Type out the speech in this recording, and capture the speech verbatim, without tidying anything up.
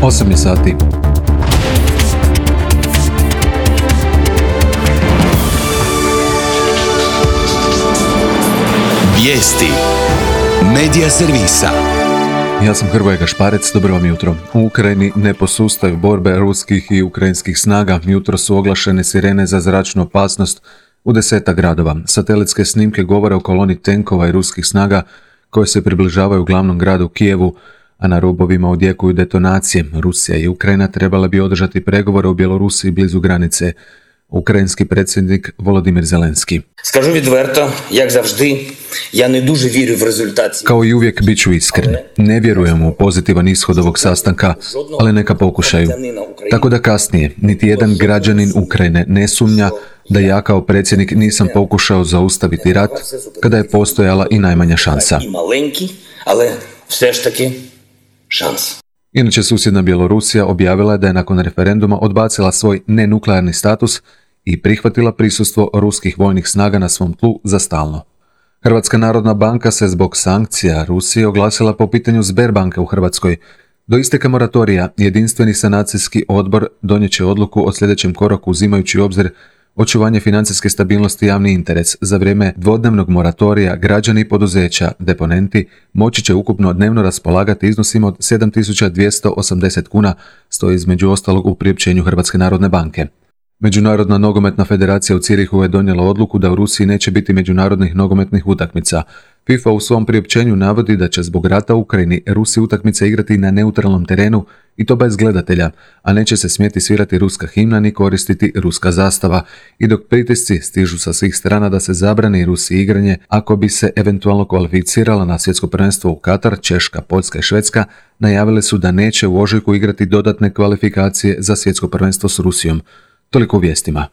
osam je sati. Vijesti Medija servisa. Ja sam Hrvoje Gašparec, dobro vam jutro. U Ukrajini ne posustaju borbe ruskih i ukrajinskih snaga. Jutro su oglašene sirene za zračnu opasnost u desetak gradova. Satelitske snimke govore o koloni tenkova i ruskih snaga koje se približavaju glavnom gradu Kijevu, a na rubovima odjekuju detonacije. Rusija i Ukrajina trebala bi održati pregovore u Bjelorusiji blizu granice. Ukrajinski predsjednik Volodimir Zelenski. Скажу відверто, як завжди, я не дуже вірю в результат. Kao i uvijek bit ću iskren. Ne vjerujem u pozitivan ishod ovog sastanka, ali neka pokušaju. Tako da kasnije, niti jedan građanin Ukrajine ne sumnja da ja kao predsjednik nisam pokušao zaustaviti rat kada je postojala i najmanja šansa. І маленький, але все ж таки шанс. Inače, susjedna Bjelorusija objavila je da je nakon referenduma odbacila svoj nenuklearni status i prihvatila prisustvo ruskih vojnih snaga na svom tlu za stalno. Hrvatska narodna banka se zbog sankcija Rusije oglasila po pitanju Sberbanke u Hrvatskoj. Do isteka moratorija jedinstveni sanacijski odbor donijet će odluku o sljedećem koraku uzimajući u obzir očuvanje financijske stabilnosti i javni interes. Za vrijeme dvodnevnog moratorija građani i poduzeća, deponenti, moći će ukupno dnevno raspolagati iznosima od sedam tisuća dvjesto osamdeset kuna, stoji između ostalog u priopćenju Hrvatske narodne banke. Međunarodna nogometna federacija u Cirihu je donijela odluku da u Rusiji neće biti međunarodnih nogometnih utakmica. FIFA u svom priopćenju navodi da će zbog rata u Ukrajini Rusi utakmice igrati na neutralnom terenu i to bez gledatelja, a neće se smjeti svirati ruska himna ni koristiti ruska zastava. I dok pritisci stižu sa svih strana da se zabrani Rusiji igranje, ako bi se eventualno kvalificirala na svjetsko prvenstvo u Katar, Češka, Poljska i Švedska najavile su da neće u ožujku igrati dodatne kvalifikacije za svjetsko prvenstvo s Rusijom. Toliko u vijestima.